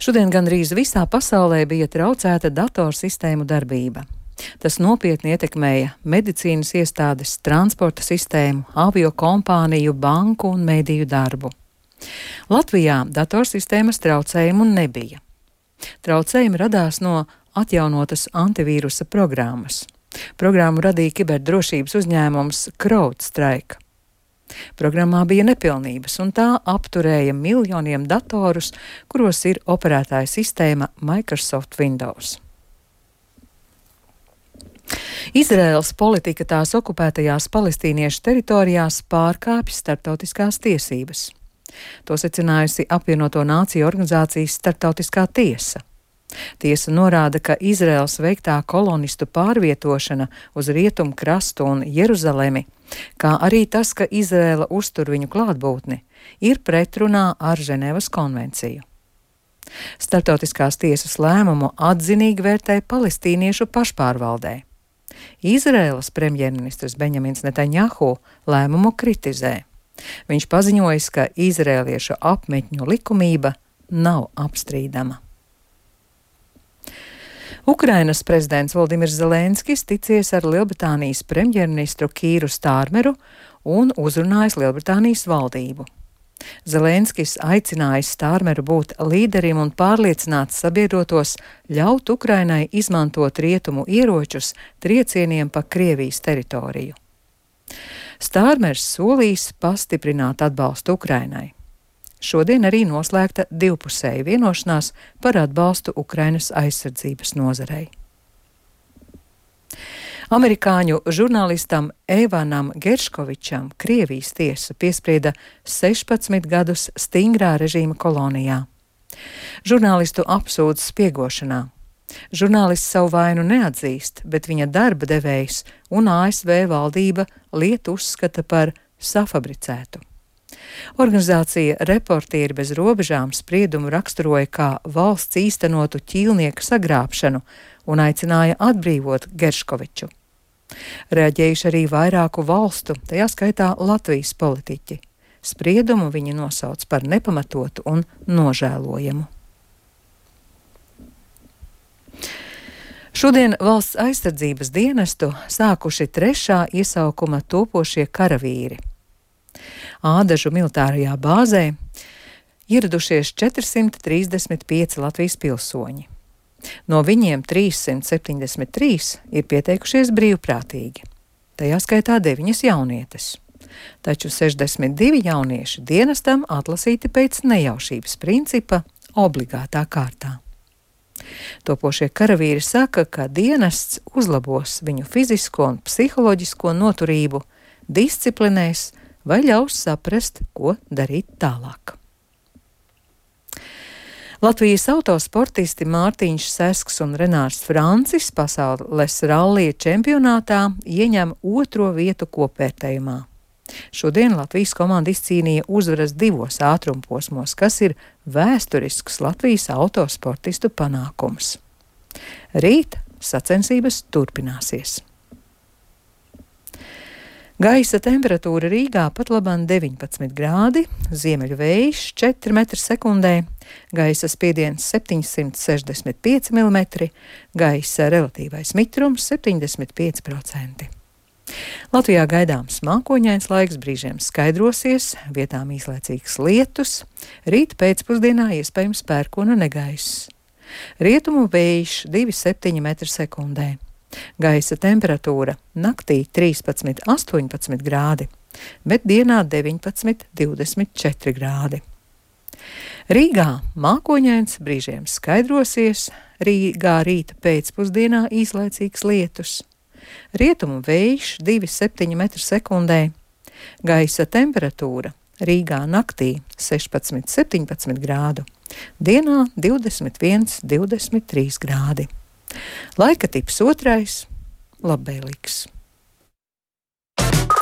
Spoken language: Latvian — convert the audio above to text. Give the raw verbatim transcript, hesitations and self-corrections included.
Šodien gandrīz visā pasaulē bija traucēta datorsistēmu darbība. Tas nopietni ietekmēja medicīnas iestādes, transporta sistēmu, avio kompāniju, banku un mediju darbu. Latvijā datorsistēmas traucējumu nebija. Traucējumi radās no atjaunotas antivīrusa programmas. Programmu radīja kiberdrošības uzņēmums CrowdStrike. Programmā bija nepilnības, un tā apturēja miljoniem datorus, kuros ir operētāja sistēma Microsoft Windows. Izraēlas politika tās okupētajās palestīniešu teritorijās pārkāpj starptautiskās tiesības. To secinājusi apvienoto nāciju organizācijas starptautiskā tiesa. Tiesa norāda, ka Izraēlas veiktā kolonistu pārvietošana uz rietumu krastu un Jeruzalemi, kā arī tas, ka Izraēla uztur viņu klātbūtni, ir pretrunā ar Ženēvas konvenciju. Starptautiskās tiesas lēmumu atzinīgi vērtē palestīniešu pašpārvaldē. Izraēlas premjerministrs Benjamins Netanjahu lēmumu kritizē. Viņš paziņojis, ka izrēliešu apmetņu likumība nav apstrīdama. Ukrainas prezidents Voldimirs Zelenskis ticies ar Lielbritānijas premjerministru Kīru Stārmeru un uzrunājis Lielbritānijas valdību. Zelenskis aicinājis Stārmeru būt līderim un pārliecināt sabiedrotos ļaut Ukrainai izmantot rietumu ieročus triecieniem pa Krievijas teritoriju. Stārmers solīs pastiprināt atbalstu Ukrainai. Šodien arī noslēgta divpusēja vienošanās par atbalstu Ukrainas aizsardzības nozarei. Amerikāņu žurnālistam Evanam Gerškovičam Krievijas tiesa piesprieda sešpadsmit gadus stingrā režīma kolonijā. Žurnālistu apsūdz spiegošanā. Žurnālists savu vainu neatzīst, bet viņa darba devējs un A S V valdība lietu uzskata par safabricētu. Organizācija Reportieri bez robežām spriedumu raksturoja kā valsts īstenotu ķīlnieku sagrābšanu un aicināja atbrīvot Gerškoviču. Reaģējuši arī vairāku valstu, tajā skaitā Latvijas politiķi. Spriedumu viņi nosauc par nepamatotu un nožēlojamu. Šodien valsts aizsardzības dienestu sākuši trešā iesaukuma topošie karavīri. Ādažu militārajā bāzē ieradušies četrsimt trīsdesmit pieci Latvijas pilsoņi. No viņiem trīssimt septiņdesmit trīs ir pieteikušies brīvprātīgi, tajā skaitā deviņas jaunietes. Taču sešdesmit divi jaunieši dienestam atlasīti pēc nejaušības principa obligātā kārtā. Topošie karavīri saka, ka dienests uzlabos viņu fizisko un psiholoģisko noturību, disciplinēs vai ļaus saprast, ko darīt tālāk. Latvijas autosportisti Mārtiņš Sesks un Renārs Francis pasaules rallija čempionātā ieņem otro vietu kopvērtējumā. Šodien Latvijas komanda izcīnīja uzvaras divos ātrumposmos, kas ir vēsturisks Latvijas autosportistu panākums. Rīt sacensības turpināsies. Gaisa temperatūra Rīgā pat labāk deviņpadsmit grādi, ziemeļu vējš četri metri sekundē, gaisa spiediens septiņsimt sešdesmit pieci milimetri, gaisa relatīvais mitrums septiņdesmit pieci procenti. Latvijā gaidāms mākoņains laiks, brīžiem skaidrosies, vietām īslaicīgs lietus, rīt pēcpusdienā iespējams pērkona negaiss. Rietumu vējš divi septiņi metri sekundē. Gaisa temperatūra naktī trīspadsmit astoņpadsmit grādi, bet dienā deviņpadsmit divdesmit četri grādi. Rīgā mākoņains, brīžiem skaidrosies, Rīgā rīta pēcpusdienā īslaicīgs lietus. Rietumu vējš divi septiņi metri sekundē. Gaisa temperatūra Rīgā naktī sešpadsmit septiņpadsmit grādu, dienā divdesmit viens divdesmit trīs grādi. Laika tips otrais - labvēlīgs.